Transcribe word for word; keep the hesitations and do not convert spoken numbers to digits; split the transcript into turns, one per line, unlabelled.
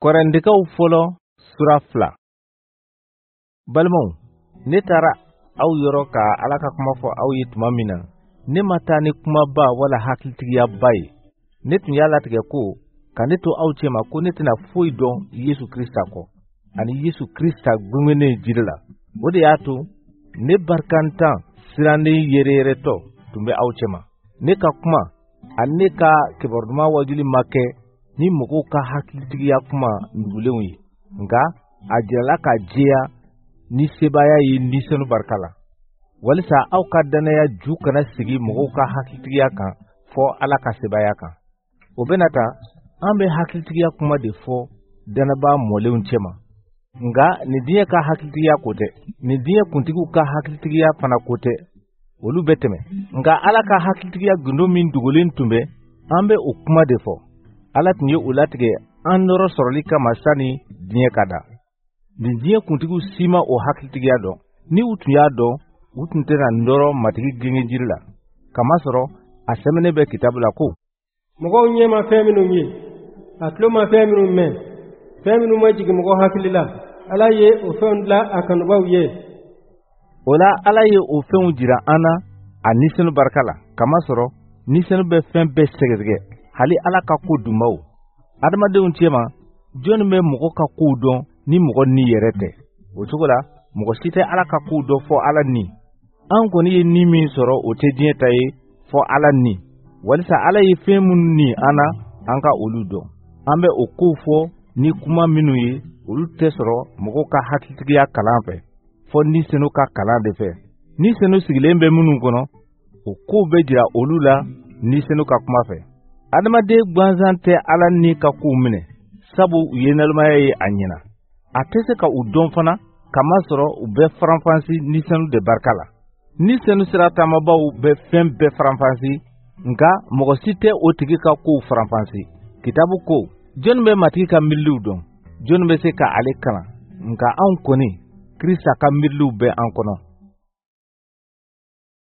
Kɔrɛndekaw fɔlɔ sura fila. Balimaw, ne taara aw yɔrɔ ka Ala ka kuma fɔ aw ye tuma min na, ne ma taa ni kumaba wala hakilitigiyaba ye. Ne tun y'a latigɛ ko ka ne to aw cɛma ko ne tɛna foyi dɔn Yesu Krista kɔ, ani Yesu Krista gengennen jiri la. O de y'a to ne barikantan sirannen yɛrɛyɛrɛtɔ tun bɛ aw cɛma. Ne ka kuma ani ne ka kibaru duman wajuli ma kɛ ni mɔgɔw ka hakilitigiya kuma nugulenw ye, nka a jirala ka jɛya ni sebaaya ye Ni Senu barika la, walisa aw ka dannaya ju kana sigi mɔgɔw ka hakilitigiya kan, fɔ Ala ka sebaaya kan. O bɛna ta, an bɛ hakilitigiya kuma de fɔ dannabaa mɔlenw cɛma, nka nin diɲɛ ka hakilitigiya ko tɛ, nin diɲɛ kuntigiw ka hakilitigiya fana ko tɛ, olu bɛ tɛmɛ. Nka Ala ka hakilitigiya gundo min dogolen tun bɛ, an bɛ o kuma de fɔ. Ala tun ye o latigɛ an nɔrɔ sɔrɔli kama sani diɲɛ ka da. Nin diɲɛ kuntigiw si ma o hakilitigiya dɔn. Ni u tun y'a dɔn, u tun tɛna nɔrɔ Matigi gengenjiri la. Kamasɔrɔ a sɛbɛnnen bɛ kitabu la ko:
Mɔgɔw ɲɛ ma fɛn minnu ye, a tulo ma fɛn minnu mɛn, fɛn minnu ma jigin mɔgɔ hakili la, Ala ye o fɛnw dilan a kanubaw ye.
O la, Ala ye o fɛnw jira an na a Ni Senu barika la. Kamasɔrɔ Ni Senu bɛ fɛn bɛɛ sɛgɛsɛgɛ, hali Ala ka ko dunbaw. Adamadenw cɛma, jɔnni bɛ mɔgɔ ka kow dɔn ni mɔgɔ ni yɛrɛ tɛ? O cogo la, mɔgɔ si tɛ Ala ka kow dɔn fɔ Ala ni. An kɔni ye ni min sɔrɔ, o tɛ diɲɛ ta ye, fɔ Ala ni, walisa Ala ye fɛn minnu ni an na, an ka olu dɔn. An bɛ o kow fɔ ni kuma minnu ye, olu tɛ sɔrɔ mɔgɔw ka hakilitigiya kalan fɛ, fɔ Ni Senu ka kalan de fɛ. Ni Senu sigilen bɛ minnu kɔnɔ, o kow bɛ jira olu la Ni Senu ka kuma fɛ. Adamaden gansan tɛ Ala ni ka kow minɛ, sabu u ye nalonmaya ye a ɲɛna. A tɛ se ka u dɔn fana, kamasɔrɔ u bɛ faranfasi Ni Senu de barika la. Ni Senu sira taamabaw bɛ fɛn bɛɛ faranfasi, nka mɔgɔ si tɛ o tigi ka kow faranfasi. Kitabu ko: Jɔnni bɛ Matigi ka miiriliw dɔn? Jɔnni bɛ se ka ale kalan? Nka anw kɔni, Krista ka miiriliw bɛ an kɔnɔ.